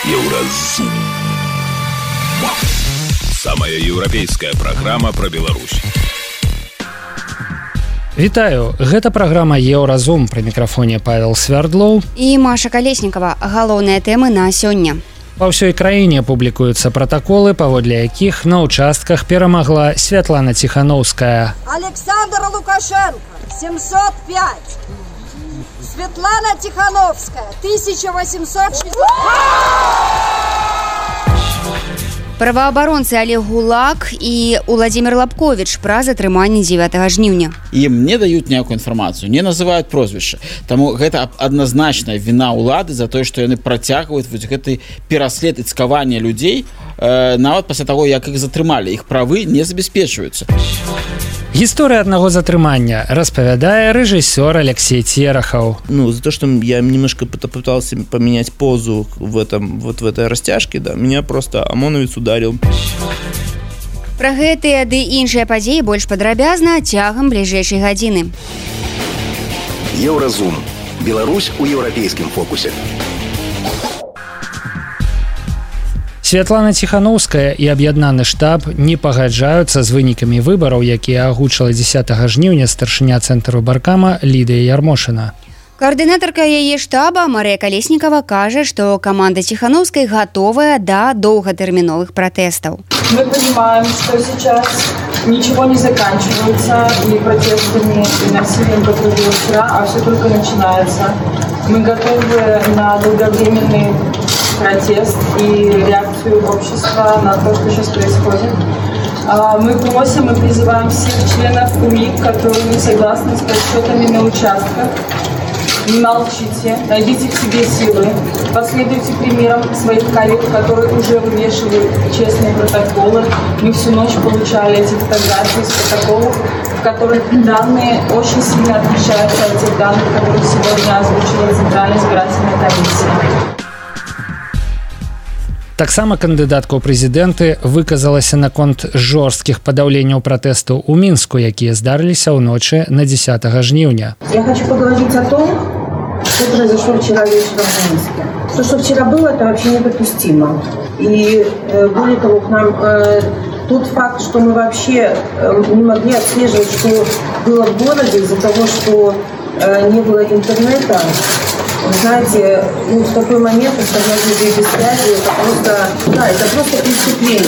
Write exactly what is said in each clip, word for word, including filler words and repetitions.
Еўразум. Самая еўрапейская праграма пра Беларусь. Вітаю, гэта праграма Еўразум, пры мікрафоне Павел Свярдлоў і Маша Калеснікава. Галоўныя тэмы на сёння. Па ўсёй краіне публікуюцца пратаколы, паводле якіх на ўчастках перамагла Святлана Ціхановская. Александр Лукашенко семьсот пять. Светлана Тихановская тысяча восемьсот шестьдесят. Праваабаронцы Олег Гулак і Владимир Лабкович пра затрыманне дзевятага жніўня. Ім не даюць ніякую інфармацыю, не называюць прозвішча. Таму гэта адназначная віна ўлады за тое, што яны працягваюць вось гэты пераслед і цкаванне людзей, э, нават пасля таго, як іх затрымалі. Іх правы не забяспечваюцца. Гісторыя аднаго затрымання распавядае рэжысёр Алексей Терехов. Ну, за то, что я немножко пытался поменять позу в этом, вот в этой растяжке, да, меня просто ОМОНовец ударил. Пра гэтыя ды іншыя падзеі больш падрабязна цягам бліжэйшай гадзіны. Еўразум. Беларусь у еўрапейскім фокусе. Святлана Ціхановская і аб'яднаны штаб не пагаджаюцца з вынікамі выбараў, якія агучыла дзесятага жніўня старшыня цэнтру Баркама Лідыя Ярмошына. Координатарка яе штаба Мария Колесникова кажа, што каманда Тихановской готовая до долготерминовых протестов. Мы понимаем, что сейчас ничего не заканчивается ни протестами, и насилием, как было вчера, а все только начинается. Мы готовы на долговременный протест и реакцию общества на то, что сейчас происходит. Мы просим и призываем всех членов УИК, которые не согласны с подсчетами на участках. Не молчите, найдите в себе силы, последуйте примерам своих коллег, которые уже вывешивают честные протоколы. Мы всю ночь получали эти фотографии с протоколов, в которых данные очень сильно отличаются от тех данных, которые сегодня озвучила Центральная избирательная комиссия. Таксама кандыдатка ў прэзідэнты выказалася наконт жорсткіх падаўленняў пратэстаў у Мінску, якія здарыліся ўночы на дзесятага жніўня. Я хочу поговорить о том, что произошло вчера вечером в Минске. То, что вчера было, это вообще недопустимо. И э, более того, к нам э, тот факт, что мы вообще э, не могли отслеживать, что было в городе из-за того, что э, не было интернета. Вы знаете, ну, в такой момент оставлять людей без связи, это просто, да, это просто преступление.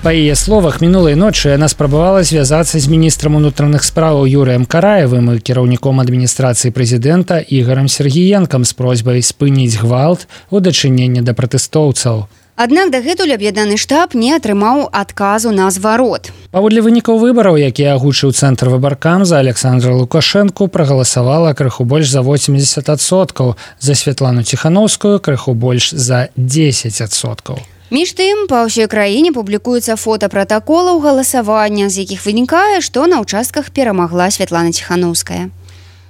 Па яе словах, мінулай ночы яна спрабавала звязацца з міністрам унутраных спраўаў Юрыем Караевым і кіраўніком адміністрацыі прэзідэнта Ігорам Сергіенкам з просьбай спыніць гвалт у дачыненні да пратэстоўцаў. Аднак дагэтуль аб'яднаны штаб не атрымаў адказу на зварот. Паводле вынікаў выбараў, якія агучыў цэнтр Выбаркам, за Александра Лукашэнку прагаласавала крыху больш за восемьдесят адсоткаў, за Святлану Ціхановскую крыху больш за десять адсоткаў. Між тым, па ўсёй краіне публікуюцца фота пратаколаў галасавання, з якіх вынікае, што на ўчастках перамагла Святлана Ціхановская.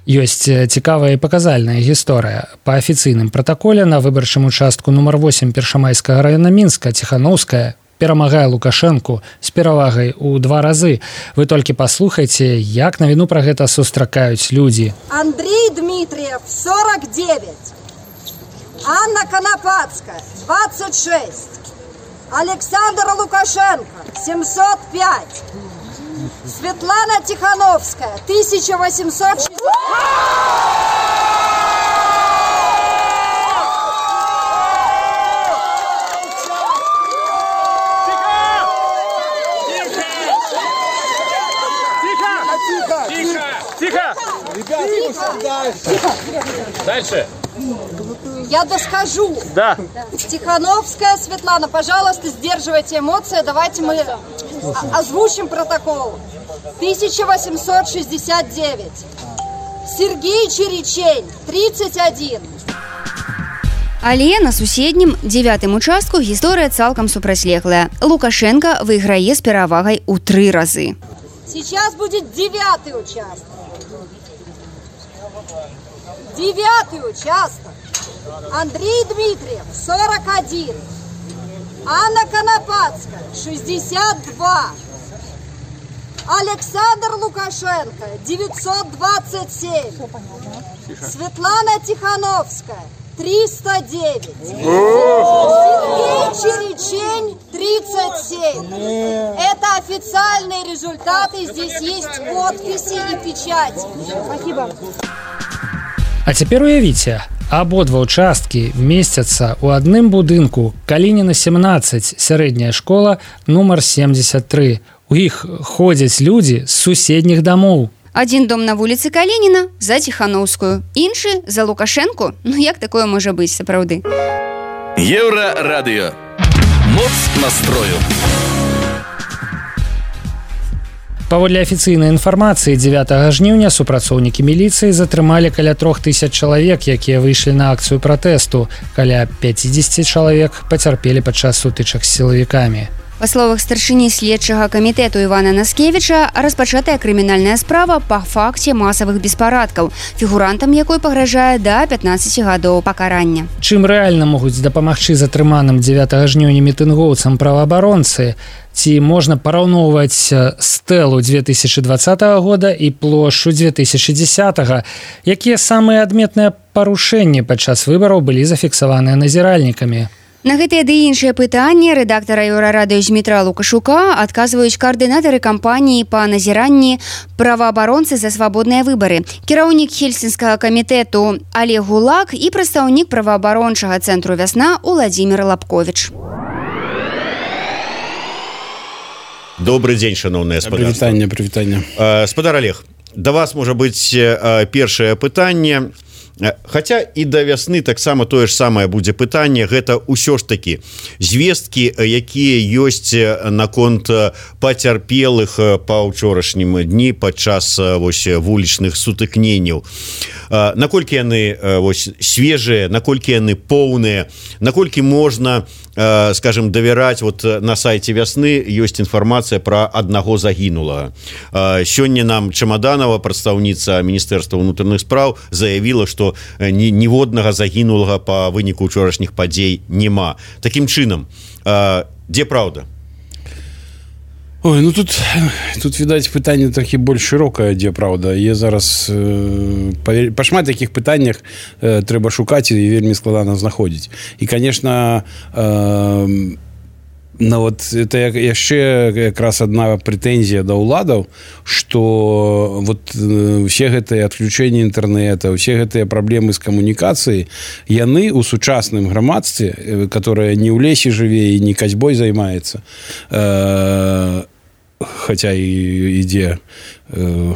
Ёсць цікавая і паказальная гісторыя. Па афіцыйным пратаколе на выбарчым участку нумар восемь Першамайскага раёна Мінска Ціхановская перамагае Лукашэнку з перавагай у два разы. Вы толькі паслухайце, як навіну пра гэта сустракаюць людзі. Андрей Дмитриев сорок девять. Анна Конопатская двадцать шесть. Александр Лукашенко семьсот пять. Светлана Тихановская тысяча восемьсот шестьдесят. Дальше. Я доскажу. Да. Тихановская Светлана, пожалуйста, сдерживайте эмоции. Давайте мы озвучим протокол. тысяча восемьсот шестьдесят девять. Сергей Черечень тридцать один. Але на суседнім дзевятым участку гісторыя цалкам супрацьлеглая. Лукашенко выйграе з перавагай у тры разы. Сейчас будет девятый участок. Девятый участок. Андрей Дмитриев сорок один. Анна Конопатская шестьдесят два. Александр Лукашенко девятьсот двадцать семь. Светлана Тихановская триста девять. Сергей Черечень тридцать семь. Это официальные результаты. Здесь есть подписи и печати. Спасибо. А цяпер уявіце, абодва ўчасткі месцяцца ў адным будынку. Калініна семнадцать, сярэдняя школа нумар семьдесят три. У іх ходзяць людзі з суседніх дамоў. Адзін дом на вуліцы Калініна за Ціханаўскую, іншы за Лукашэнку. Ну як такое можа быць сапраўды? Еўрарадыё. Моц настрою. Паводле афіцыйнай інфармацыі дзевятага жніўня супрацоўнікі міліцыі затрымалі каля трох тысяч чалавек, якія выйшлі на акцыю пратэсту. Каля пяцьдзесят чалавек пацярпелі падчас сутычак з сілавікамі. Па словах старшыні следчага камітэту Івана Наскевіча, распачатая крымінальная справа па факце масавых беспарадкаў, фігурантам якой пагражае да пятнаццаці гадоў пакарання. Чым рэальна могуць дапамагчы затрыманым дзевятага жніўня мітынгоўцам праваабаронцы? Ці можна параўноўваць стэлу две тысячи двадцатого года і плошчу две тысячи десятого? Якія самыя адметныя парушэнні падчас выбараў былі зафіксаваныя назіральнікамі? На гэтыя ды іншыя пытанні рэдактара Еўрарадыё Змітра Лукашука адказваюць каардынатары кампаніі па назіранні праваабаронцы за свабодныя выбары, кіраўнік Хельсінскага камітэту Олег Гулак і прадстаўнік праваабарончага цэнтру «Вясна» Уладзімір Лапковіч. Добрый дзень, шановнае спадарства. Прывітанне, прывітанне. Спадар Олег, да вас можа быць першае пытанне. Хаця і да вясны таксама тое ж самае будзе пытанне, гэта ўсё ж такі звесткі, якія ёсць наконт пацярпелых па ўчорашнім дні падчас вось вулічных сутыкненняў. Наколькі яны вось свежыя, наколькі яны поўныя, наколькі можна, скажем, давяраць, вот на сайце вясны ёсць інфармацыя пра аднаго загінулага. Сёння нам Чамаданова, прадстаўніца Міністэрства ўнутраных спраў, заявіла, што ні, ніводнага загінулага па выніку ўчорашніх падзей няма. Такім чынам, дзе праўда? Ой, ну тут, тут відаць, пытанне трохі больш шырокае, дзе праўда. Я зараз э, па, па шмат такіх пытаннях э, трэба шукаць і вельмі складана знаходзіць. І, конечно, э, ну вот это яшчэ якраз одна прэтэнзія да ўладаў, што вот все гэтыя адключэнні інтэрнэта, все гэтыя праблемы з камунікацыяй, яны ў сучасным грамадстве, которое не ў лесе жыве і не касьбой займаецца, э, хотя і ідзе э,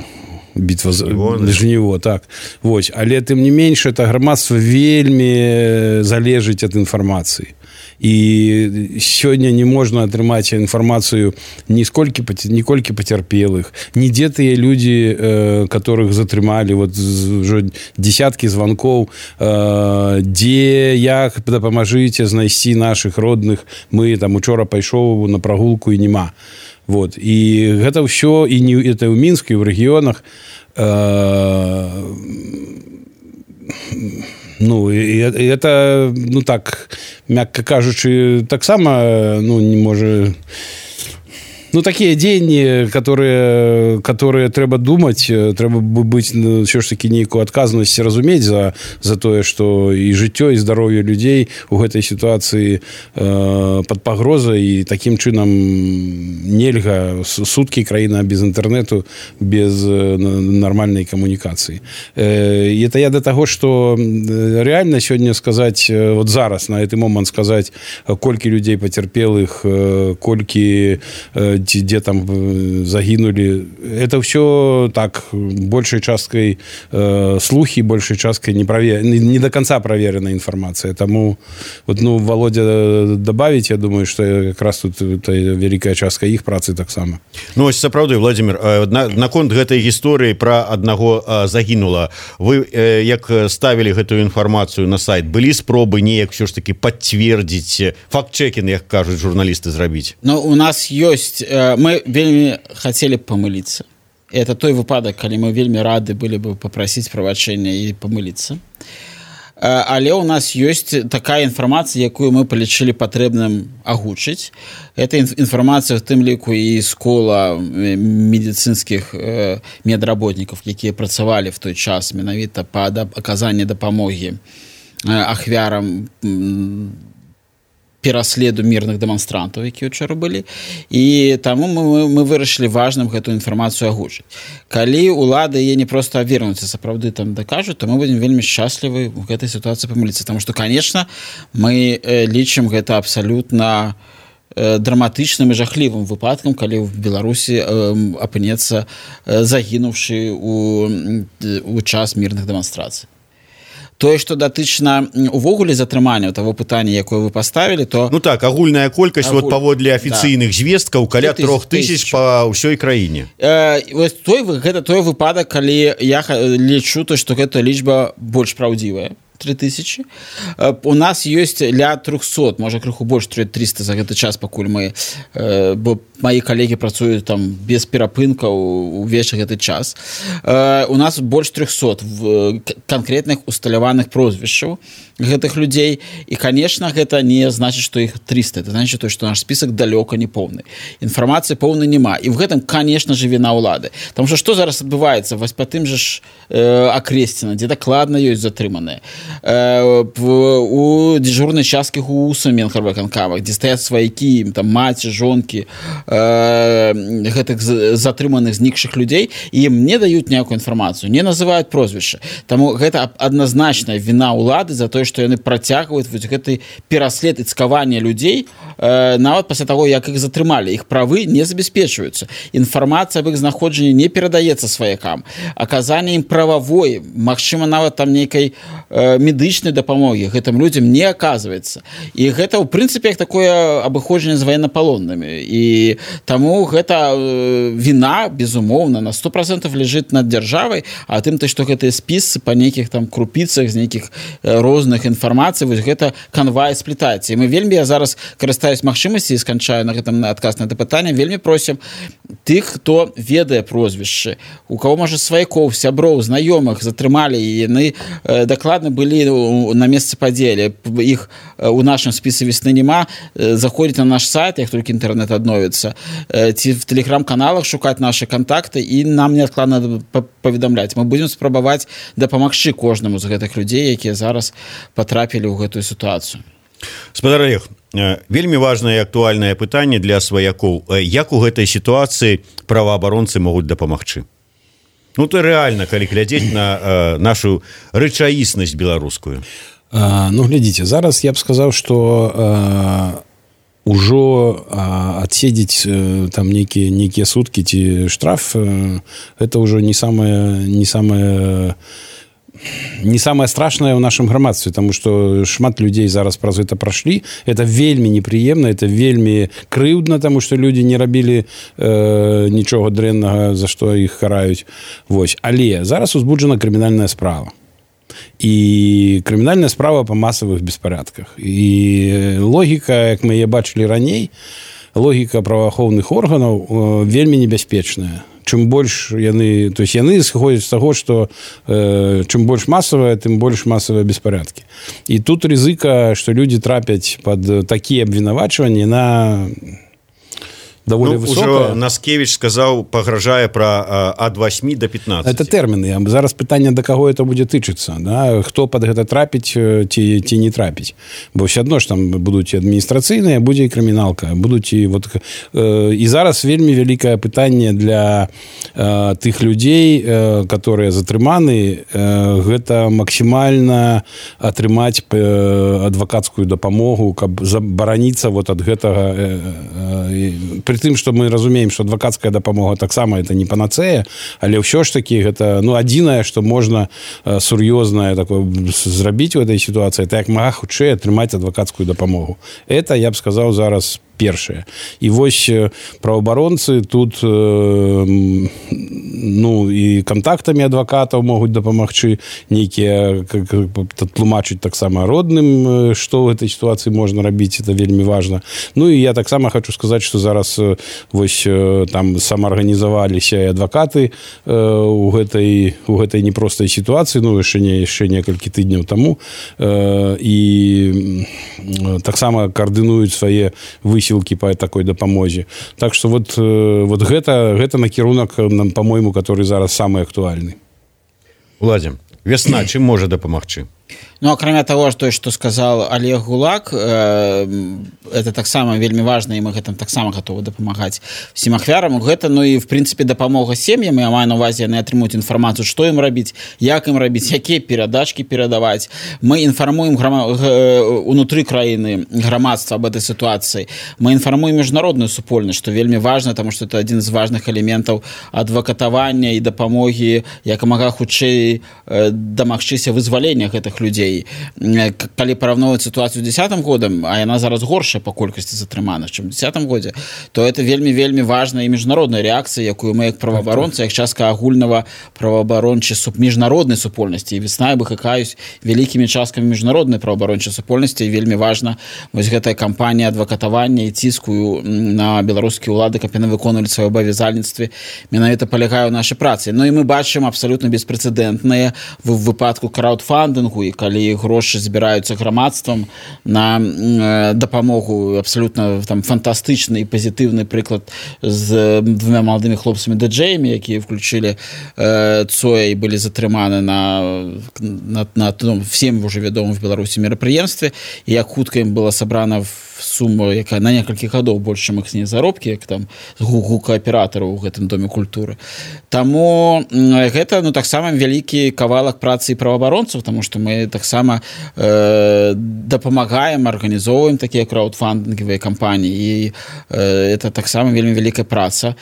бітва за жніво, так. Вось, але тым не менш, это грамадства вельмі залежыць ад інфармацыі. І сёння не можна атрымаць інфармацыю ні сколькі, ніколькі пацярпелых, нідзе тыя людзі, э, которых затрымалі, вот ўжо десяткі званкоў, э, дзе, як, дапамажыце знайсці нашых родных, мы там учора пайшоў на прагулку і нема. Вот. І гэта ўсё, і не это ў Мінску, і ў рэгіёнах, э, ну, і это, ну так, мякка кажучы, таксама, ну, не можа... Ну, такие дзеянні, которые, которые трэба думаць, трэба быць, ну, ўсё ж такі нейкую адказнасць разумець за, за тое, што і жыццё, і здароўе людзей у гэтай сітуацыі э, пад пагрозай, і такім чынам нельга суткі краіна без інтэрнэту, без нармальнай камунікацыі. Э, і это я да таго, што рэальна сёння сказаць, вот зараз, на гэты момант сказаць, колькі людзей пацярпелых, колькі где там загинули. Это все так, большей часткой э, слухи, большей часткой не, провер... не, не до конца проверенная информация. Тому, вот, ну, Володя добавить, я думаю, что как раз тут это великая частка их працы так само. Ну, ось сапраўды, Владимир, на, наконт гэтай гісторыі про аднаго загінула, вы э, як ставілі гэтую інфармацыю на сайт, былі спробы неяк все ж таки подтвердить, факт-чекінг, як кажуць журналисты, зрабіць? Ну, у нас есть... Мы вельмі хотели помылиться. Это той выпадок, калі мы вельмі рады были бы попросить прабачэння и помылиться. Але у нас есть такая информация, якую мы полічылі патрэбным агучыць. Это информация в тым ліку і з кола медицинских медработников, якія працавалі в той час менавіта па аказанні дапамогі ахвярам пераследу мірных дэманстрантаў, якія ўчора былі, і таму мы, мы вырашылі важным гэтую інфармацыю агучыць. Калі улады яе не проста авернуцца, сапраўды там дакажуць, то мы будзем вельмі шчаслівы ў гэтай сітуацыі памыліцца, таму што, канешне, мы лічым гэта абсалютна драматычным і жахлівым выпадкам, калі ў Беларусі апынецца загінуўшы у, у час мірных дэманстрацый. Тое, што датычна увогуле затрымання таго пытання, якое вы паставілі, то... Ну так, агульная колькасць Агуль... вот паводле афіцыйных да. звесткаў каля трох тысяч па ўсёй краіне. Э, той, гэта той выпадак, калі я лічу, то, што гэта лічба больш праўдзівая. три тысячи. У нас ёсць ля трохсот, можа крыху больш триста за гэты час, пакуль мы, бо мои калегі працуюць там без перапынкаў увесь гэты час. У нас больш трохсот канкрэтных усталяваных прозвішчаў гэтых людзей, і, конечно, гэта не значыць, што іх триста, это значыць, што наш список далёка не поўны. Інфармацыі поўнай няма, і в гэтым, конечно же, віна ўлады. Таму што што зараз адбываецца вось па тым жа ж Акресціна, дзе дакладна ёсць затрыманыя, у дзяжурнай часткі ГУСа Менхарвыканкама, дзе стаяць сваякі, там маці, жонкі гэтых затрыманых знікшых людзей, і ім не даюць ніякую інфармацыю, не называюць прозвішча. Таму гэта адназначная віна ўлады за тое, што яны працягваюць вось гэты пераслед і цкаванне людзей нават пасля таго, як іх затрымалі. Іх правы не забяспечваюцца. Інфармацыя аб іх знаходжанні не перадаецца сваякам. Аказанне ім прававой, магчыма, нават там нейкай медычнай дапамогі гэтым людзям не аказваецца. І гэта, ў прынцыпе, як такое абыходжанне з ваеннапалоннымі. І таму гэта віна, безумоўна, на сто процентов ляжыць над дзяржавай, а тым, што гэтыя спісы па нейкіх там крупіцах з нейкіх розных інфармацый, вось гэта канвай сплітаецца. І мы вельмі, я зараз карыстаюсь магчымасці і сканчаю на гэтым адказ на гэта пытанне, вельмі просім тых, хто ведае прозвішчы, у каго, можа, сваякоў, сяброў, знаёмых затрымалі, і яны дакладна былі на месцы падзелі. Іх у нашым спісе весны няма. Заходзіць на наш сайт, як толькі інтэрнэт адновіцца, ці в тэлеграм-каналах шукаць нашы контакты і нам неадкладна паведамляць. Мы будзем спрабаваць дапамагчы кожнаму з гэтых людзей, якія зараз патрапілі ў гэтую сітуацыю. Спадар Олег, вельмі важнае і актуальнае пытанне для сваякоў. Як у гэтай сітуацыі праваабаронцы могуць дапамагчы? Ну, то реально, калі глядзець на э, нашу рэчаіснасць беларускую. А, ну, глядзіце, зараз я б сказаў, што э, ужо э, адседзець э, там нейкія нейкія суткі ці штраф, э, это ўжо не самае не самае не самое страшное в нашем грамадстве, потому что шмат людей зараз праз это прошли. Это вельмі неприемно, это вельмі крыўдна, потому что люди не рабілі э, нічога дрэннага, за што іх караюць. Вось. Але зараз узбуджана крымінальная справа. І крымінальная справа па масавых беспарадках. І логіка, як мы яе бачылі раней, логіка праваахоўных органаў э, вельмі небяспечная. Чым больш яны, то есть яны сходзяць з таго, што э, чым больш масавая, тым больш масавыя беспарадкі. І тут рызыка, што людзі трапяць пад такія абвінавачванні на даволі ну, высокая. Ужо Наскевіч сказаў, пагражае пра ад восьмі до пятнадцати. Это тэрміны. Зараз пытанне, да каго это будзе тычыцца. Да? Хто пад гэта трапіць ці, ці не трапіць. Бо ўсё адно ж там будуць і адміністрацыйныя, будзе і крыміналка. Будуць і, вот, э, і зараз вельмі вялікае пытанне для э, тых людзей, э, которые затрыманы, э, гэта максімальна атрымаць э, адвакацкую дапамогу, каб забараніцца вот ад гэтага э, э, при тым, што мы разумеем, што адвакацкая дапамога таксама это не панацэя, але ўсё ж такі гэта ну адзінае, што можна э, сур'ёзнае такое зрабіць у этой сітуацыі, это як мага хутчэй атрымаць адвакацкую дапамогу. Это я б сказаў зараз першае. І вось праваабаронцы тут э, ну і кантактамі адвакатаў могуць дапамагчы, нейкія тлумачыць таксама родным, што ў этой сітуацыі можна рабіць, это вельмі важна. Ну і я таксама хочу сказаць, што зараз вось там самаарганізаваліся і адвакаты э, у гэтай у гэтай непростай сітуацыі, ну яшчэ не яшчэ некалькі тыдняў таму э, і таксама каардынуюць свае высілкі по такой дапамозе. Так что вот, вот гэта, гэта накірунак, по-моему, который зараз самый актуальны. Уладзім, вясна чым можа дапамагчы? Ну, акрамя того, что, что сказал Олег Гулак, э, это таксама вельмі важна, і мы гэтым таксама готовы дапамагаць всім ахвярам. Гэта, ну і в принципе дапамога сем'ям, я маю на увазе, яны атрымуюць інфармацыю, што ім рабіць, як ім рабіць, якія перадачкі перадаваць. Мы інфармуем грама... унутры краіны грамадства об этой сітуацыі. Мы інфармуем міжнародную супольнасць, што вельмі важна, таму што это адзін з важных элементаў адвакатавання і дапамогі якамага хутчэй дамагчыся вызвалення гэтых людзей. Калі параўноўваць сітуацыю дзесятым годам, а яна зараз горшая па колькасці затрыманых, чым у дзесятым годзе, то это вельмі вельмі важная і міжнародная рэакцыя, якую мы як праваабаронцы, як частка агульнага праваабарончай суп міжнароднай супольнасці, і весна выклікаюць вялікімі часткамі міжнароднай праваабарончай супольнасці, і вельмі важна вось гэтая кампанія адвакатавання і ціску на беларускія ўлады, каб яны выконвалі свае абавязальніцтвы, менавіта палягае ў нашай працы. Ну і мы бачым абсалютна беспрэцэдэнтныя в выпадку краўдфандынгу, і калі грошы збіраюцца грамадствам на э, дапамогу, абсалютна там фантастычны і пазітыўны прыклад з двумя маладымі хлопцамі ди-джеямі, якія включили э, Цоя і былі затрыманы на, на, на ну, всем уже вядомым в Беларусі мерапрыемстве, і як хутка ім была сабрана сума, якая на некалькі гадоў больш, чым іх заробкі, як там гукааператараў у гэтым доме культуры. Таму гэта, ну, таксама вялікі кавалак працы і праваабаронцаў, таму што мы таксама э, дапамагаем, арганізоўваем такія краўдфандынгавыя кампаніі, і э, это таксама вельмі вялікая праца.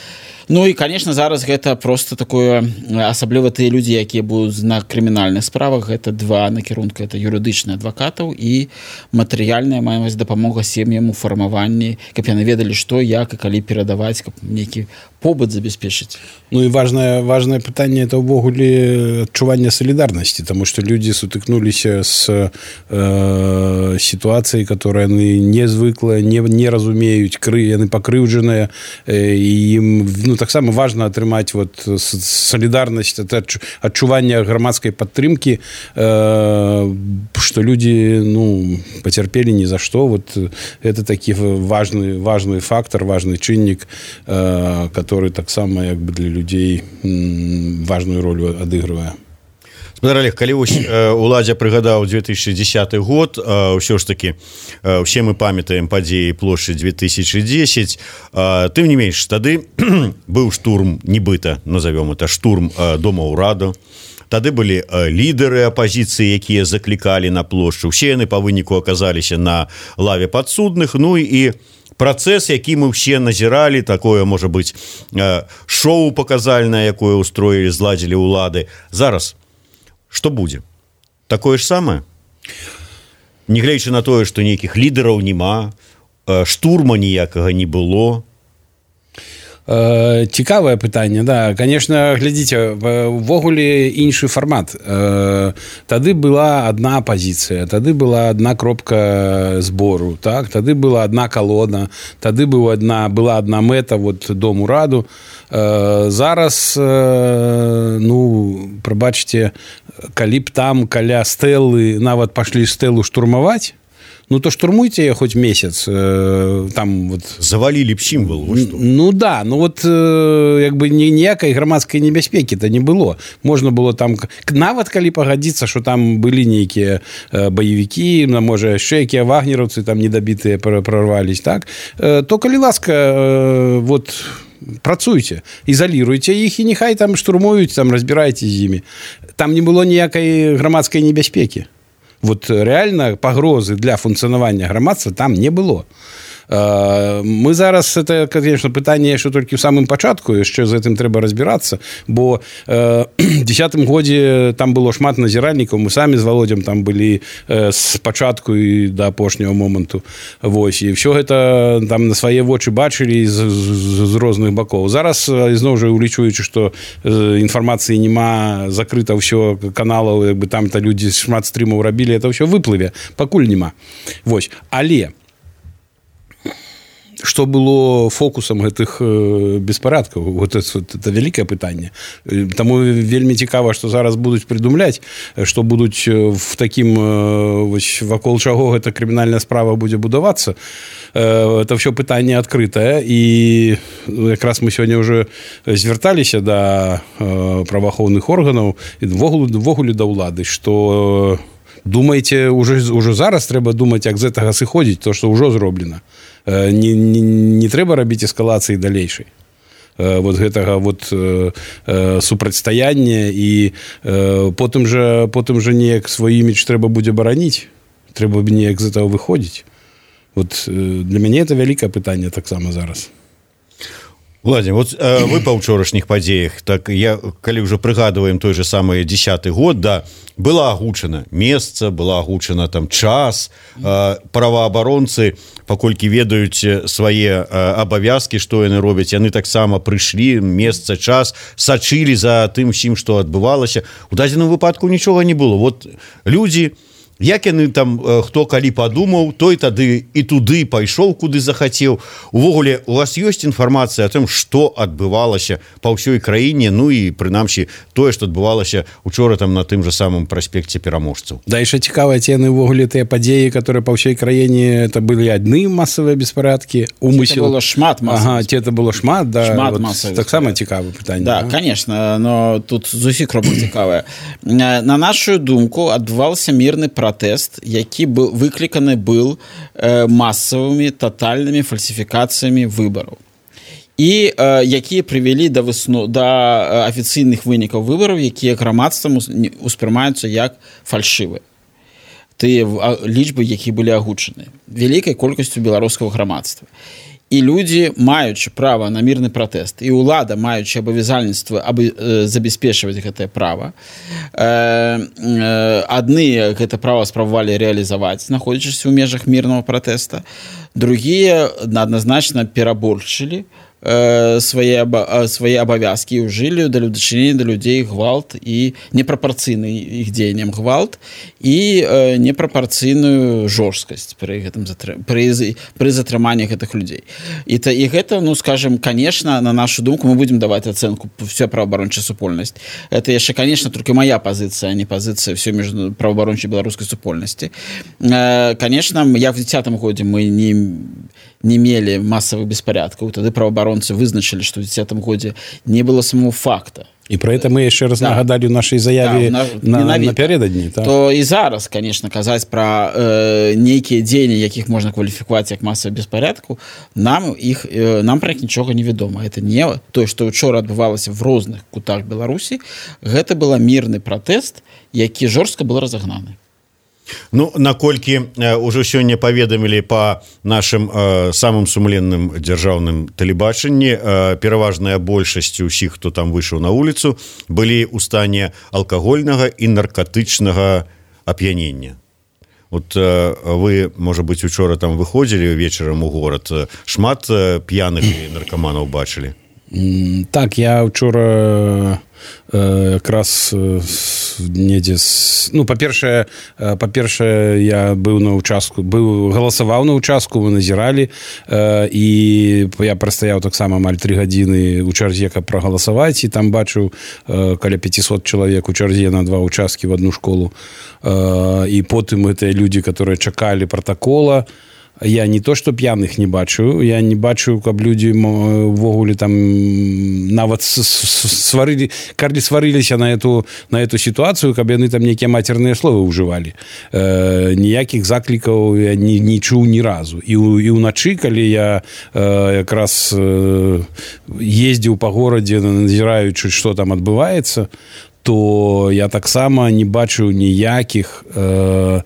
Ну і, конечно, зараз гэта просто такое, асабліва тыя людзі, якія будуць на крымінальных справах, гэта два накірунка, это юрыдычны адвакатаў і матэрыяльная маемасць дапамога сем'ям у фармаванні, каб яны ведалі, што, як і калі перадаваць, каб нейкі побыт забяспечыць. Ну і важное, важное пытанне это ўвогуле адчуванне солідарнасці, таму што людзі сутыкнуліся з э, сітуацыяй, которая яны не звыклыя, не, не разумеюць, кры, яны пакрыўджаныя, э, і ім, ну, таксама важна атрымаць вот солідарнасць, это адчуванне грамадскай падтрымкі, э, што людзі, ну, пацярпелі ні за што. Вот это такі важны, важны фактор, важны чыннік, э, который таксама як бы для людзей важную ролю адыгрывае. Спадар Олег, калі уладзя прыгадаў две тысячи дзесяты год, ўсё ж такі усе мы памятаем падзеі плошчы две тысячи десять, тым не менш тады быў штурм, нібыта назовём это штурм дома ўраду. Тады былі лідары апазіцыі, якія заклікалі на плошчу. Усе яны па выніку аказаліся на лаве падсудных. Ну і працэс, які мы ўсе назіралі, такое, можа быць, шоу паказальнае, якое устроілі, зладзілі ўлады. Зараз што будзе? Такое ж самае? Нягледзячы на тое, што нейкіх лідараў няма, штурма ніякага не было. Цікавае пытанне, да, конечно, глядзіце, увогуле іншы фармат. Тады была адна пазіцыя, тады была адна кропка збору, так, тады была адна калона, тады была адна, была адна мэта, вот дом ураду. Зараз, ну, прабачце, калі б там каля стэлы нават пашлі стэлу штурмаваць, ну, то штурмуйте я хоть месяц. Э, там вот... Завалили б символ. Ну, да, ну вот э, як бы ніякай грамадскай небяспекі-то не было. Можна было там, нават калі пагадзіцца, што там былі нейкія э, баевікі, можа, яшчэ якія вагнераўцы там недабітыя прорвались, так? Э, то, калі ласка, э, вот... працуйте, изолируйте іх і нехай там штурмуюць, там разбірайце з імі. Там не было ніякай грамадскай небяспекі. Вот реально пагрозы для функцыянавання грамадства там не было. Мы зараз, это, конечно, пытанне яшчэ толькі ў самым пачатку, яшчэ з гэтым трэба разбірацца, бо э, дзесятым годзе там было шмат назіральнікаў, мы самі з Володзем там былі э, з пачатку і да апошняга моманту. Вось, і ўсё гэта там на свае вочы бачылі з, з, з розных бакоў. Зараз, ізноў жа, улічуючы, што э, інфармацыі няма, закрыта ўсё каналаў, як бы там-то людзі шмат стрымаў рабілі, это ўсё выплыве, пакуль няма. Вось, але што было фокусам гэтых беспарадкаў? Вот это, это вялікае пытанне. Таму вельмі цікава, што зараз будуць прыдумляць, што будуць в такім вось, вакол чаго гэта крымінальная справа будзе будавацца. Это ўсё пытанне адкрытае, і якраз мы сёння ўжо звярталіся да праваахоўных органаў і ввогуле да ўлады, што думаеце уже уже зараз трэба думаць, як з гэтага сыходзіць, то што ўжо зроблена. Не, не, не трэба рабіць эскалацыі далейшай. Вот гэтага вот э, э, супрацьстаяння і э, потым жа потым жа неяк свой імідж трэба будзе бараніць, трэба неяк з этого выходзіць. Вот э, для мяне это вялікае пытанне таксама зараз. Владимир, вот э, вы па ўчорашніх падзеях, так я калі ўжо прыгадваем той же самы дзесяты год, да, была агучана месца, была агучана там час, э, праваабаронцы, паколькі ведаюць свае э, абавязкі, што яны робяць, яны таксама прыйшлі, месца, час, сачылі за тым усім, што адбывалася. У дадзеным выпадку нічога не было. Вот людзі, як яны там, хто калі падумаў, той тады і туды пайшоў, куды захацеў. Увогуле, у вас ёсць інфармацыя о том, што адбывалася па ўсёй краіне, ну і прынамсі тое, што адбывалася учора там на тым же самым праспекце Пераможцаў. Да, яшчэ цікава, ці яны ўвогуле тыя падзеі, которые па ўсёй краіне, это былі адны масавыя беспарадкі, умысел. Это было шмат масавых. Ага, ці это было шмат, да. Шмат вот, масавых. Таксама цікавае пытанне. Да, а? конечно, но тут зусім кропка цікавая. На нашу думку, адбываўся мірны пратэст, пратэст, які быў выкліканы быў э, масавымі татальнымі фальсіфікацыямі выбараў. І э, якія прывялі да высну да афіцыйных вынікаў выбараў, якія грамадствам успрымаюцца як фальшывыя. Тыя лічбы, якія былі агучаны вялікай колькасцю беларускага грамадства. І людзі, маючы права на мірны пратэст, і ўлада, маючы абавязальніцтва абы, э, забяспечваць гэтае права, э, э, адны гэта права спрабавалі рэалізаваць, знаходзячыся ў межах мірнага пратэста, другія адназначна пераборчылі э, свае, аба, свае абавязкі, ўжылі да дачынення да людзей гвалт і непрапарцыйны іх дзеянням гвалт і э, непрапарцыйную жорсткасць пры гэтым пры, пры затрыманні гэтых людзей. І, та, і гэта, ну, скажем, конечно, на нашу думку мы будем даваць ацэнку всё праваабарончая супольнасць. Это яшчэ, конечно, только моя пазіцыя, а не пазіцыя всё між праваабарончай беларускай супольнасці. Э, конечно, як в дзесятым годзе мы не не мелі масавых беспорядкаў, тады праваабаронцы вызначылі, што ў дзесятым годзе не было самого факта. І про это мы яшчэ раз да. нагадалі ў нашай заяве да, на, на, напярэдадні. Так? То і зараз, конечно, казаць пра э, нейкія дзеянні, якіх можна кваліфікаваць як масавы беспорядку, нам іх э, нам пра іх нічога не вядома. Это не тое, што учора адбывалася в розных кутах Беларусі, гэта была мірны пратэст, які жорстка был разагнаны. Ну, наколькі э, ўжо сёння паведамілі па нашым э, самым сумленным дзяржаўным тэлебачанні, э, пераважная большасць усіх, хто там выйшаў на вуліцу, былі ў стане алкагольнага і наркатычнага ап'янення. Вот э, вы, можа быць, учора там выходзілі вечарам у горад, шмат э, п'яных і наркаманаў бачылі? Так, я учора якраз недзе ну па-першае па-першае я быў на участку быў галасаваў на участку, вы назіралі і я прастаяў таксама амаль тры гадзіны у чарзе, каб прагаласаваць, і там бачыў каля пяцісот чалавек у чарзе на два участкі в одну школу, і потым гэтыя людзі, которые чакалі протакола. Я не то, што п'яных не бачу, я не бачу, каб людзі ввогуле там нават сварылі, калі сварыліся на эту, на эту сітуацыю, каб яны там нейкія мацерныя словы ўжывалі. Э, ніякіх заклікаў я не, не чуў ні разу. І, і ўначы, калі я э, якраз э, ездзіў па горадзе, назіраючы, што там адбываецца, то я таксама не бачу ніякіх э,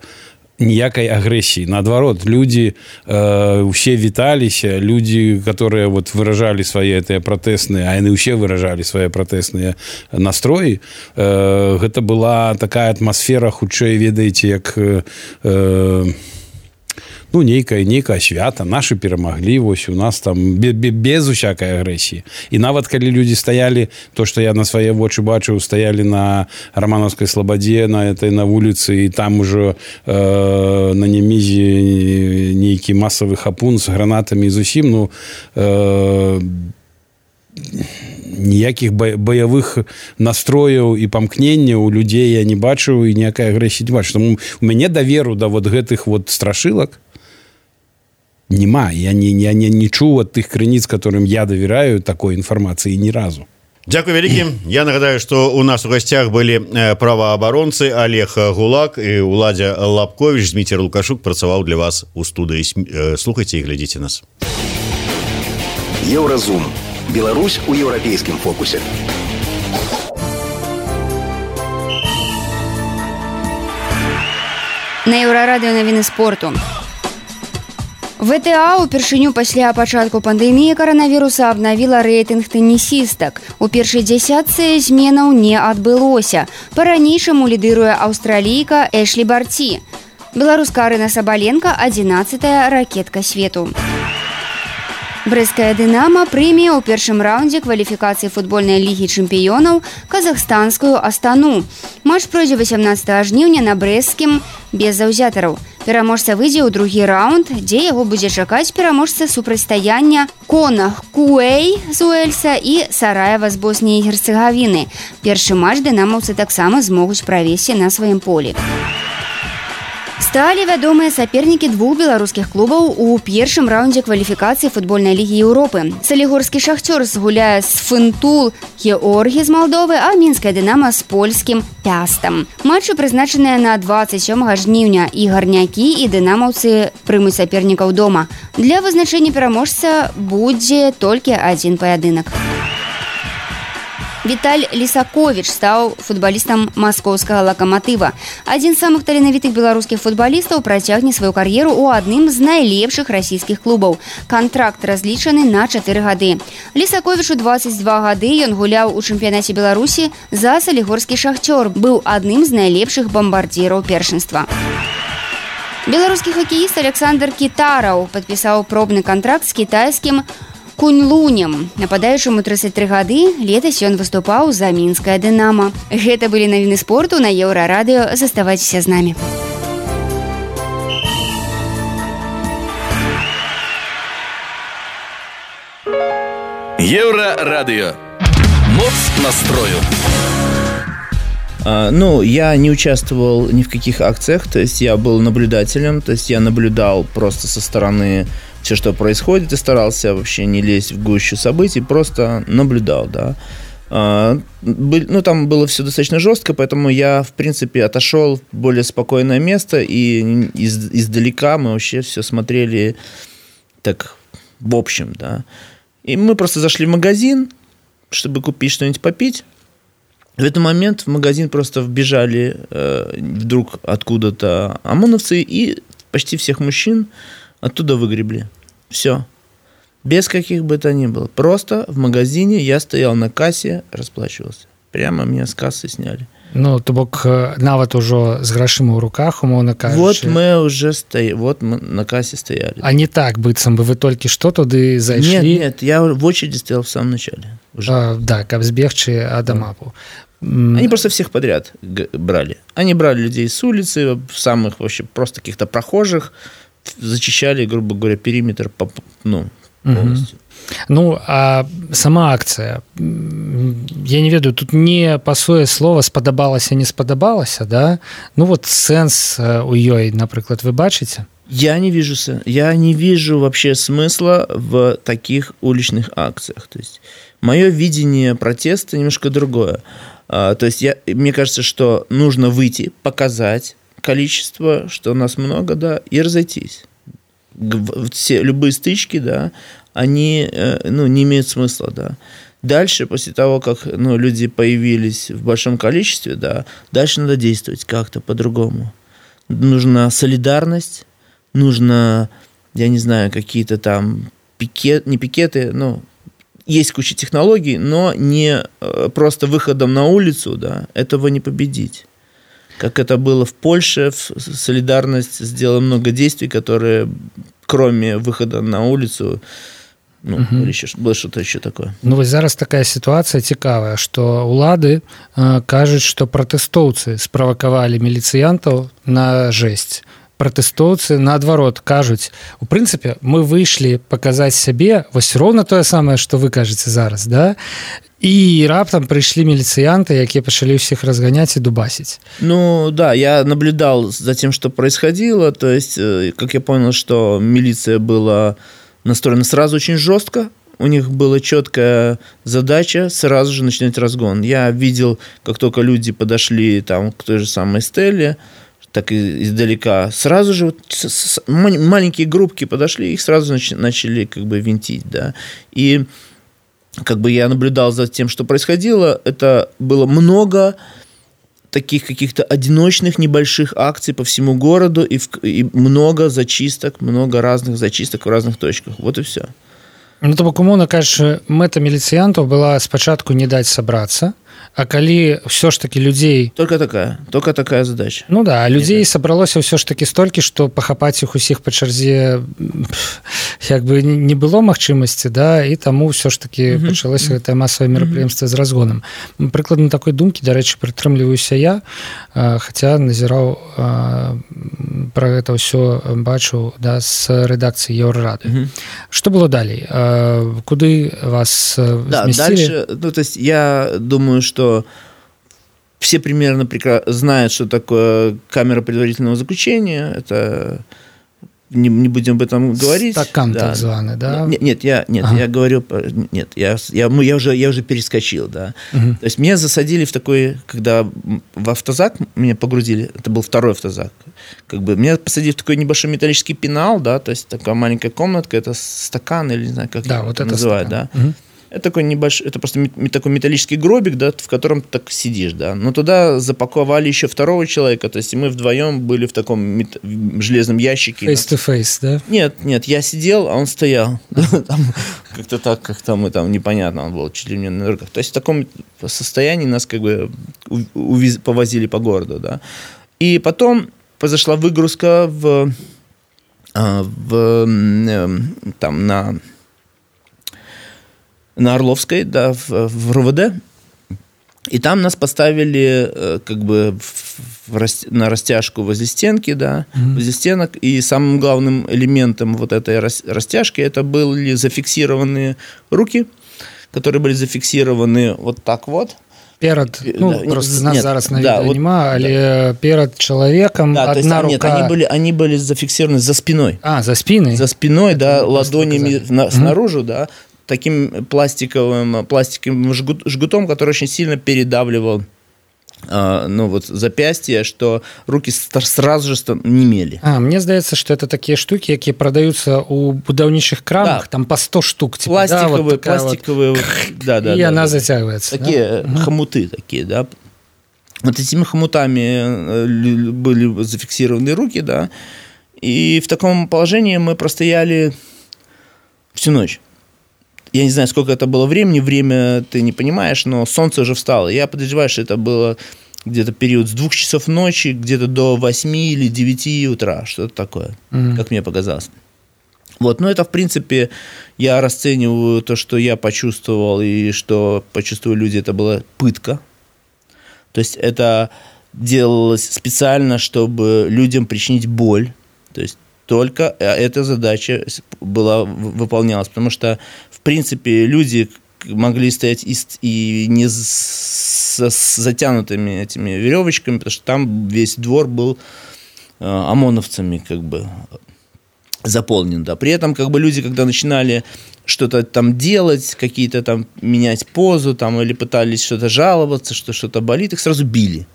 ніякай агрэсіі. Наадварот, людзі э, усе віталіся, людзі, которые вот выражалі свае гэтыя пратэсныя, а яны ўсе выражалі свае пратэсныя настроі, э, гэта была такая атмасфера, хутчэй, ведаеце, як э, ну, нейкая, нейкая свята, нашы перамаглі, вось у нас там без, без усякай агрэсіі. І нават калі людзі стаялі, то, што я на свае вочы бачыў, стаялі на Рамановскай слабадзе, на этой на вуліцы, і там ужо э, на Немізе нейкі масавы хапун з гранатамі зусім, ну, э, ніякіх баявых настрояў і памкненняў у людзей я не бачыў, і ніякай агрэсіі не бачу. Таму у мяне даверу да вот гэтых вот страшылак нема. Я не, я не, не чуў ад тых крыніц, которым я давяраю, такой інфармацыі ні разу. Дзякуй вялікім. Я нагадаю, што у нас у гасцях былі праваабаронцы Олег Гулак і Уладзя Лапкович. Зміцер Лукашук працаваў для вас у студыі. Слухайце і глядзіце нас. Еўразум. Беларусь у еўрапейскім фокусе. На Еўрарадыё навіны спорту. ВТА упершыню пасля пачатку пандэміі каранавіруса абнавіла рэйтынг тэнісістак. У першай дзясятцы зменаў не адбылося. Па-ранейшаму лідыруе аўстралійка Эшлі Барці. Беларуска Арына Сабаленка адзінаццатая ракетка свету. Брэсцкая «Дынама» прыме ў першым раўндзе кваліфікацыі футбольнай лігі чэмпіёнаў казахстанскую «Астану». Матч пройдзе васямнаццатага жніўня на брэсцкім без заўзятараў. Пераможца выйдзе ў другі раўнд, дзе яго будзе чакаць пераможца супрацьстаяння Конах Куэй з Уэльса і Сараева з Босніі і Герцэгавіны. Першы матч дынамаўцы таксама змогуць правесці на сваім полі. Сталі вядомыя сапернікі двух беларускіх клубаў у першым раўндзе кваліфікацыі футбольнай лігі Еўропы. Салігорскі «Шахцёр» згуляе з Фынтул Георгі з Малдовы, а мінская «Дынама» з польскім «Пястам». Матчы прызначаныя на дваццаць сёмага жніўня, і гарнякі, і дынамаўцы прымуць сапернікаў дома. Для вызначэння пераможца будзе толькі адзін паядынак. Віталь Лісаковіч стаў футбалістам маскоўскага «Лакаматыва». Адзін з самых таленавітых беларускіх футбалістаў працягне сваю кар'еру ў адным з найлепшых расійскіх клубаў. Кантракт разлічаны на чатыры гады. Лісаковічу дваццаць два гады, ён гуляў у чэмпіянаце Беларусі за салігорскі «Шахцёр», быў адным з найлепшых бамбардзіраў першынства. Беларускі хакеіст Александр Кітараў падпісаў пробны кантракт з кітайскім Куньлунем. Нападаючаму трыццаць тры гады, летась ён выступаў за мінская «Дынама». Гэта былі навіны спорту на Еўрарадыё. Заставайцеся з намі. Еўрарадыё. Моц настрою. А, ну, я не участвовал ни в каких акциях, то есть я был наблюдателем, то есть я наблюдал просто со стороны все, что происходит, и старался вообще не лезть в гущу событий, просто наблюдал, да. А, был, ну, там было все достаточно жестко, поэтому я, в принципе, отошел в более спокойное место, и из, издалека мы вообще все смотрели так в общем, да. И мы просто зашли в магазин, чтобы купить что-нибудь попить. В этот момент в магазин просто вбежали э, вдруг откуда-то ОМОНовцы и почти всех мужчин оттуда выгребли. Все. Без каких бы то ни было. Просто в магазине я стоял на кассе, расплачивался. Прямо меня с кассы сняли. Ну, то бок нават ужо з грашыма ў руках, умоўна кажучы. Вот мы уже стояли, вот мы на кассе стояли. А не так, быццам бы вы толькі што туды зайшлі? Нет, нет, я в очереди стоял в самом начале. Уже. А, да, каб збегчы ад АМАПу. Они просто всех подряд брали. Они брали людей с улицы, самых вообще просто каких-то прохожих, зачищали, грубо говоря, периметр, ну, полностью. Ну, а сама акцыя, я не ведаю, тут не пасуе слова спадабалася, не спадабалася, да? Ну вот сэнс у ёй, напрыклад, вы бачыце? Я не вижу, я не вижу вообще смысла в таких уличных акциях. То есть мое видение протеста немножко другое. То есть я, мне кажется, что нужно выйти, показать количество, что у нас много, да, и разойтись. Все, любые стычки, да, они, ну, не имеют смысла, да. Дальше, после того, как, ну, люди появились в большом количестве, да, дальше надо действовать как-то по-другому. Нужна солидарность, нужно, я не знаю, какие-то там пикет, не пикеты, ну, есть куча технологий, но не просто выходом на улицу, да, этого не победить. Как это было в Польше, солидарность сделала много действий, которые, кроме выхода на улицу, ну, угу. или еще, было что-то еще такое. Ну, вот зараз такая ситуация цікавая, что улады э, кажут, что протэстоўцы справакавалі міліцыянтаў на жесть. Пратэстоўцы наадварот кажуць, у прынцыпе мы выйшлі паказаць сябе вось роўна тое самае, што вы кажаце зараз, да, і раптам прыйшлі міліцыянты, якія пачалі ўсіх разганяць і дубасіць. Ну да, я наблюдал за тем, что происходило, то есть как я понял, что милиция была настроена сразу очень жестко, у них была четкая задача сразу же начинать разгон. Я видел, как только люди подошли там, к той же самой Стелле, так и издалека, сразу же вот с, с, маленькие группки подошли, их сразу нач, начали как бы винтить, да. И как бы я наблюдал за тем, что происходило, это было много таких каких-то одиночных небольших акций по всему городу и, в, и много зачисток, много разных зачисток в разных точках. Вот и все. Ну, то бок, умоўна кажучы, мэта міліцыянтаў была спачатку не даць сабрацца, а калі ўсё ж таки людзей... Только такая, только такая задача. Ну да, а людзей Нет. сабралося ўсё ж таки столькі, што пахапаць іх усіх па чарзе як бы не было магчымасці, да, і таму ўсё ж таки mm-hmm. пачалося гэтае масавае мерапрыемства mm-hmm. з разгонам. Прыкладна такой думкі, дарэчы, прытрымліваюся я, хаця назіраў пра гэта ўсё бачу, да, з рэдакцыі Еўрарады. Mm-hmm. Што было далей? Куды вас да, зместили? Дальше, ну, то есть я думаю, что все примерно знают, что такое камера предварительного заключения. Это не, не будем об этом говорить. Стакан да. так званый, да? Нет, нет, я, нет, ага. я говорю, нет, я, я, я, уже, я уже перескочил, да. Угу. То есть меня засадили в такой, когда в автозак меня погрузили, это был второй автозак, как бы меня посадили в такой небольшой металлический пенал, да, то есть такая маленькая комнатка, это стакан или не знаю, как да, это вот это называют, да. Угу. Это такой небольшой, это просто такой металлический гробик, да, в котором ты так сидишь, да. Но туда запаковали еще второго человека, то есть мы вдвоем были в таком мет... в железном ящике. Face to face, да? Нет, нет, я сидел, а он стоял. Там, как-то так, как-то мы там непонятно, он был чуть ли не на руках. То есть в таком состоянии нас как бы увез... повозили по городу, да. И потом произошла выгрузка в, в там на на Орловской, да, в, в РУВД, и там нас поставили как бы в, в, на растяжку возле стенки, да, mm-hmm. возле стенок, и самым главным элементом вот этой растяжки это были зафиксированные руки, которые были зафиксированы вот так вот. Перед, ну, да, просто нас нет, зараз на да, відео вот, нема, але да. перед человеком да, одна есть, рука... Нет, они были, они были зафиксированы за спиной. А, за спиной? За спиной, это да, ладонями на, снаружи, mm-hmm. да, таким пластиковым, пластиковым жгут, жгутом, который очень сильно передавливал э, ну, вот, запястье, что руки сразу же немели. А, мне здаецца, что это такие штуки, якія продаются у будаўнічых крамах, да. там по сто штук. Типа, пластиковые, да, вот пластиковые. Вот, да, да, и да, она да. затягивается. Такие да? хомуты такие, да. Вот этими хомутами были зафиксированы руки, да. И в таком положении мы простояли всю ночь. Я не знаю, сколько это было времени, время ты не понимаешь, но солнце уже встало. Я подозреваю, что это было где-то период с двух часов ночи, где-то до восьми или девяти утра, что-то такое, mm-hmm. как мне показалось. Вот, но это, в принципе, я расцениваю то, что я почувствовал и что почувствовали люди, это была пытка. То есть это делалось специально, чтобы людям причинить боль. То есть только эта задача была, выполнялась, потому что, в принципе, люди могли стоять и, и не с, с затянутыми этими веревочками, потому что там весь двор был э, ОМОНовцами как бы заполнен. Да. При этом как бы люди, когда начинали что-то там делать, какие-то там менять позу там, или пытались что-то жаловаться, что что-то болит, их сразу били.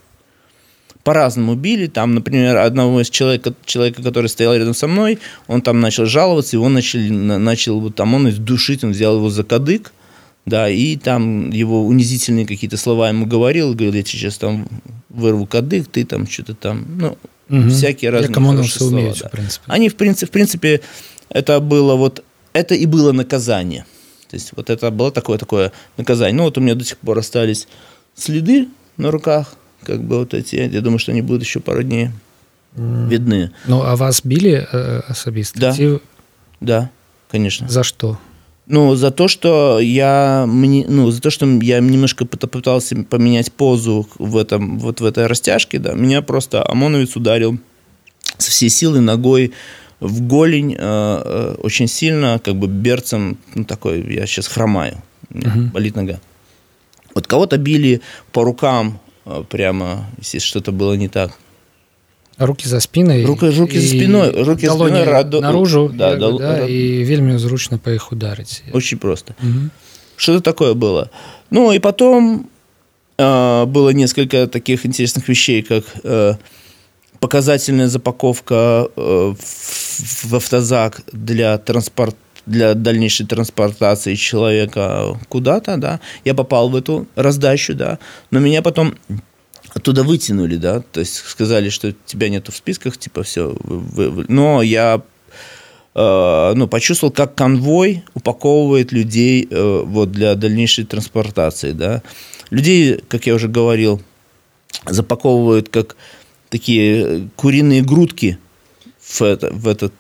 По-разному били. Там, например, одного из человека, человека, который стоял рядом со мной, он там начал жаловаться, его начали, начал вот, там, он душить, он взял его за кадык, да, и там его унизительные какие-то слова ему говорил, говорил, я сейчас там вырву кадык, ты там что-то там, ну, угу. всякие разные хорошие слова. Умеют, да. в принципе. Они, в принципе, в принципе, это было вот, это и было наказание. То есть вот это было такое, такое наказание. Ну, вот у меня до сих пор остались следы на руках, как бы вот эти, я думаю, что они будут еще пару дней mm. видны. Ну, а вас били э, особисто? Да, Ти... да, конечно. За что? Ну, за то, что я, ну, за то, что я немножко пытался поменять позу в этом, вот в этой растяжке, да, меня просто ОМОНовец ударил со всей силы ногой в голень, э, э, очень сильно, как бы берцем, ну, такой, я сейчас хромаю, uh-huh. болит нога. Вот кого-то били по рукам, прямо, если что-то было не так. руки за спиной, руки, руки за спиной, руки за спиной раду... наружу, да, да, да, да, да. И вельми зручно по их ударить. Очень просто. Угу. Что-то такое было. Ну, и потом э, было несколько таких интересных вещей, как э, показательная запаковка э, в, в автозак для транспорта, для дальнейшей транспортации человека куда-то, да. Я попал в эту раздачу, да, но меня потом оттуда вытянули, да, то есть сказали, что тебя нету в списках, типа, все. Вы, вы. Но я э, ну, почувствовал, как конвой упаковывает людей э, вот, для дальнейшей транспортации, да. Людей, как я уже говорил, запаковывают как такие куриные грудки в, это, в этот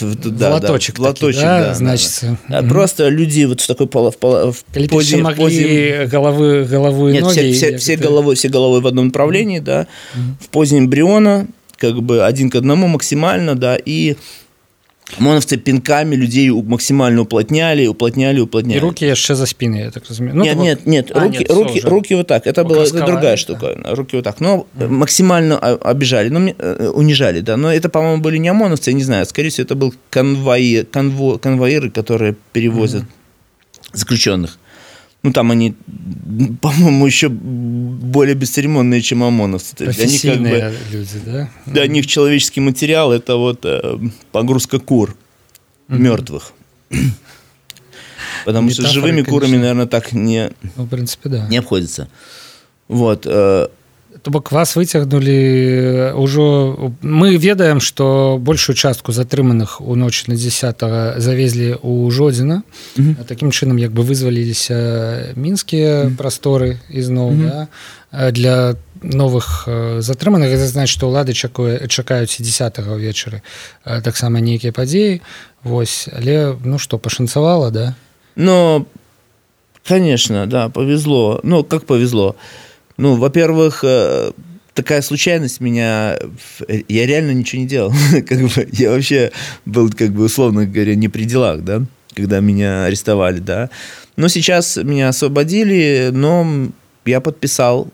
в, да, в лоточек, да, в лоточек, таки, да, да, значится. Да, да. Угу. Просто люди вот в такой поло, в, поло, в позе, могли позе... головы, голову и Нет, ноги. все, все, все, головой, все головой в одном направлении, да, угу. в позе эмбриона, как бы один к одному максимально, да, и ОМОНовцы пинками людей максимально уплотняли, уплотняли, уплотняли. И руки еще за спиной, я так разумею. Ну, нет, того... нет, нет, а, руки, нет руки, руки вот так. Это была это другая штука. Да. Руки вот так. Но mm. максимально обижали, ну, унижали, да. Но это, по-моему, были не ОМОНовцы, я не знаю. Скорее всего, это был конвои, конво, конвоиры, которые перевозят mm. заключенных. Ну, там они, по-моему, еще более бесцеремонные, чем ОМОНовцы. Профессийные для них, как бы, люди, да? Для них человеческий материал – это вот э, погрузка кур mm-hmm. мертвых. Потому Метафоры, что с живыми конечно. Курами, наверное, так не, ну, в принципе, да. не обходится. Вот. Э, То бок вас выцягнулі ўжо мы ведаем, што большую частку затрыманых у ноч на дзесятага завезлі ў Жодзіна. Mm-hmm. Такім чынам як бы вызваліліся мінскія mm-hmm. прасторы ізноў mm-hmm. да, для новых затрыманых. Гэта значыць, што ўлады чакуе, чакаюць і дзесятага ўвечары таксама нейкія падзеі. Вось, але ну што, пашанцавала, да? Ну, конечно, да, повезло. Ну, как повезло? Ну, во-первых, такая случайность меня... Я реально ничего не делал. Как бы, я вообще был, как бы, условно говоря, не при делах, да, когда меня арестовали, да. Но сейчас меня освободили, но я подписал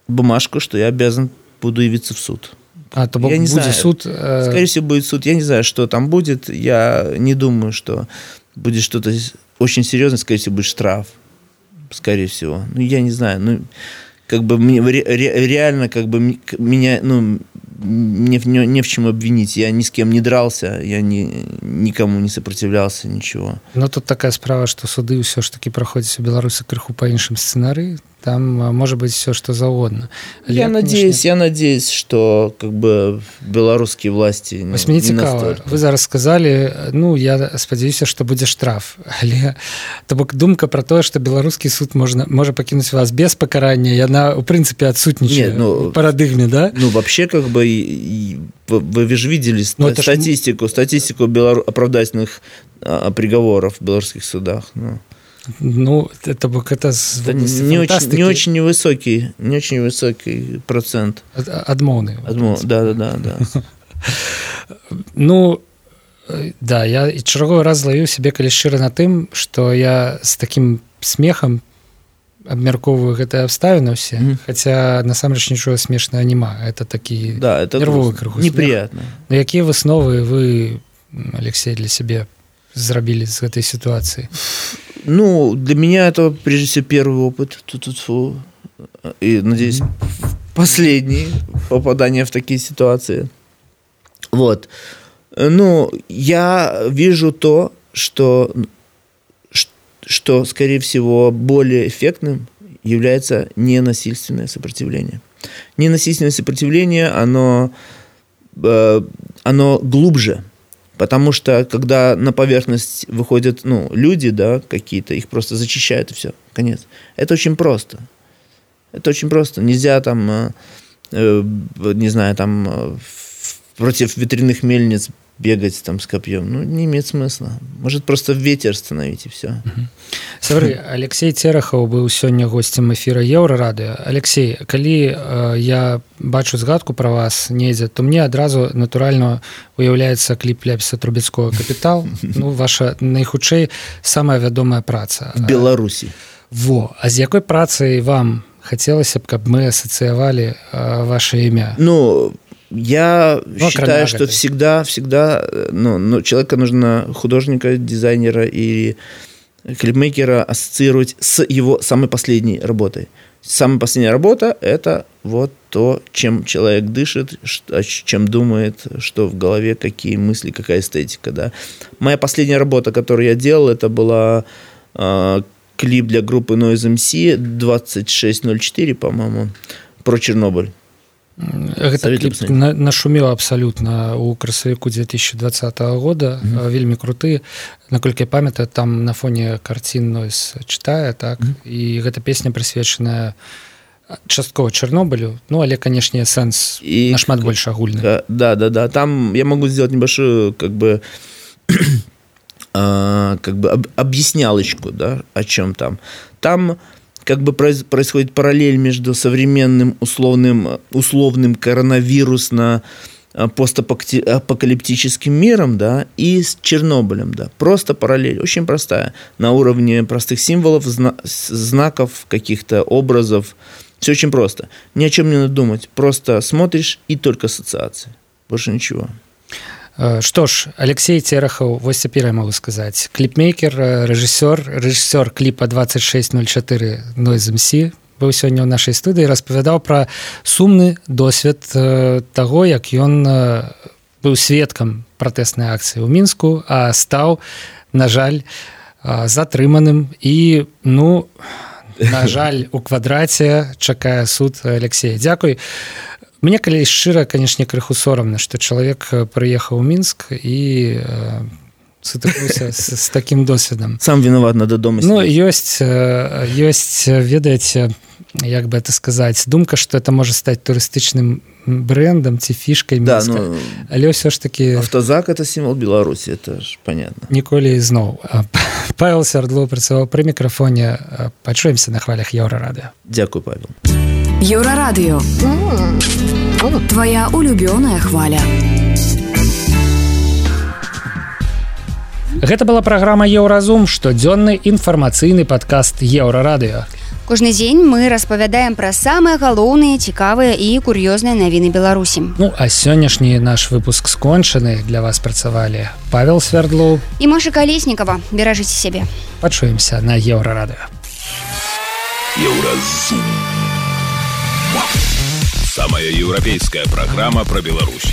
бумажку, что я обязан буду явиться в суд. А, то я не будет знаю. Суд? Э... Скорее всего, будет суд. Я не знаю, что там будет. Я не думаю, что будет что-то очень серьезное. Скорее всего, будет штраф. Скорее всего. Ну, я не знаю. Ну... Как бы мне ре, реально как бы меня ну не, не, не в чем обвинить. Я ни с кем не дрался, я ни, никому не сопротивлялся, ничего. Но тут такая справа, что суды ўсё ж таки проходят у Беларуси крыху по іншым сценарии. Там может быть все, что завгодно. Я, я надеюсь, конечно... я надеюсь, что как бы белорусские власти ну, не цікава. Вы зараз сказали, ну я спадзяюся, что будзе штраф. Але то бок думка про то, что беларускі суд можна можа пакінуць вас без пакарання, яна у прынцыпе адсутнічае ну, в парадыгме, да? Ну вообще как бы и, и, вы, вы же видели ну, статистику, ж... статистику белору... оправдательных а, приговоров в белорусских судах. Ну. Ну, это это не очень, не очень невысокий, не очень высокий процент. Адмоўны. Адмоў, да, да, да, да. Ну, да, я чарговы раз злавіў сябе калі шчыра на тым, што я з такім смехам абмяркоўваю гэтыя абставіны ўсе, mm-hmm. хаця насамрэч нічога смешнага няма. Это такі да, это нервовы крыху неприятно. Но якія высновы вы, Алексей, для сябе зрабілі з гэтай сітуацыі? Ну, для меня это, прежде всего, первый опыт. Ту-ту-ту. И, надеюсь, mm-hmm. последний попадание в такие ситуации. Вот. Ну, я вижу то, что, что, скорее всего, более эффектным является ненасильственное сопротивление. Ненасильственное сопротивление, оно, оно глубже. Потому что, когда на поверхность выходят ну, люди, да, какие-то, их просто зачищают, и все, конец. Это очень просто. Это очень просто. Нельзя там, э, э, не знаю, там, э, против ветряных мельниц бегать там с копьем. Ну, не имеет смысла. Может, просто ветер остановить, и все. Сябры, Алексей Церахаў быў сёння госцем эфіра Еўрарадыё. Алексей, калі э, я бачу згадку пра вас недзе, то мне адразу натуральна уяўляецца кліп Ляпіса Трубецкога «Капітал». Ну, ваша найхутчэй самая вядомая праца. В Беларусі. Во. А з якой працай вам хацелася б, каб мы асацыявалі э, ваше імя? Ну, Я ну, считаю, что всегда, всегда, ну, ну, человека нужно, художника, дизайнера и клипмейкера ассоциировать с его самой последней работой. Самая последняя работа – это вот то, чем человек дышит, чем думает, что в голове, какие мысли, какая эстетика. Да. Моя последняя работа, которую я делал, это была э, клип для группы Noise эм си двадцать шесть ноль четыре, по-моему, про Чернобыль. Гэта кліп нашумеў абсалютна ў красавіку две тысячи двадцатого года, mm-hmm. вельмі круты, наколькі я памятаю, там на фоне карцін Noise чытае, так, mm-hmm. і гэта песня прысвечаная часткова Чернобылю, ну, але, канешне, сэнс и нашмат больш агульны. Да, да, да, там я могу сделать небольшую, как бы, как бы объяснялочку, да, о чем там. Там как бы происходит параллель между современным условным, условным коронавирусно-постапокалиптическим миром, да, и с Чернобылем, да. Просто параллель, очень простая, на уровне простых символов, знаков, каких-то образов. Все очень просто. Ни о чем не надо думать. Просто смотришь и только ассоциации. Больше ничего. Што ж, Алексей Терехаў, вось цяпер я могу сказаць, кліпмейкер, рэжысёр, рэжысёр кліпа двадцать шесть ноль четыре Noise эм си, быў сёння ў нашай студыі, распавядаў пра сумны досвед таго, як ён быў сведкам пратэснай акцыі ў Мінску, а стаў, на жаль, затрыманым і, ну, на жаль, у квадраце чакае суд Алексея. Дзякуй. Мне, калі шчыра, канешне, крыху сорамна, што чалавек прыехаў у Мінск і э, сутыкнуўся з, з такім досведам. Сам вінават, надо дома. Ну, ёсць, ёсць, ведаеце, як бы это сказаць, думка, што это можа стаць турыстычным брэндам ці фішкай Мінска. Да, ну, але ўсё ж такі... Автозак – это сімвол Беларусі, это ж понятно. Ніколі зноў. Павел Свердлоў працаваў пры мікрафоне. Пачуемся на хвалях Еўрарадыё. Дзякуй, Павел. Еўрарадыё. Твоя улюбёная хваля. Гэта была праграма Еўразум, штодзённы інфармацыйны падкаст Еўрарадыё. Кожны дзень мы распавядаем пра самыя галоўныя, цікавыя і кур'ёзныя навіны Беларусі. Ну, а сённяшні наш выпуск скончаны. Для вас працавалі Павел Свердлоў і Маша Калеснікава. Беражыце сябе. Пачуемся на Еўрарадыё. Еўразум. Самая европейская программа про Беларусь.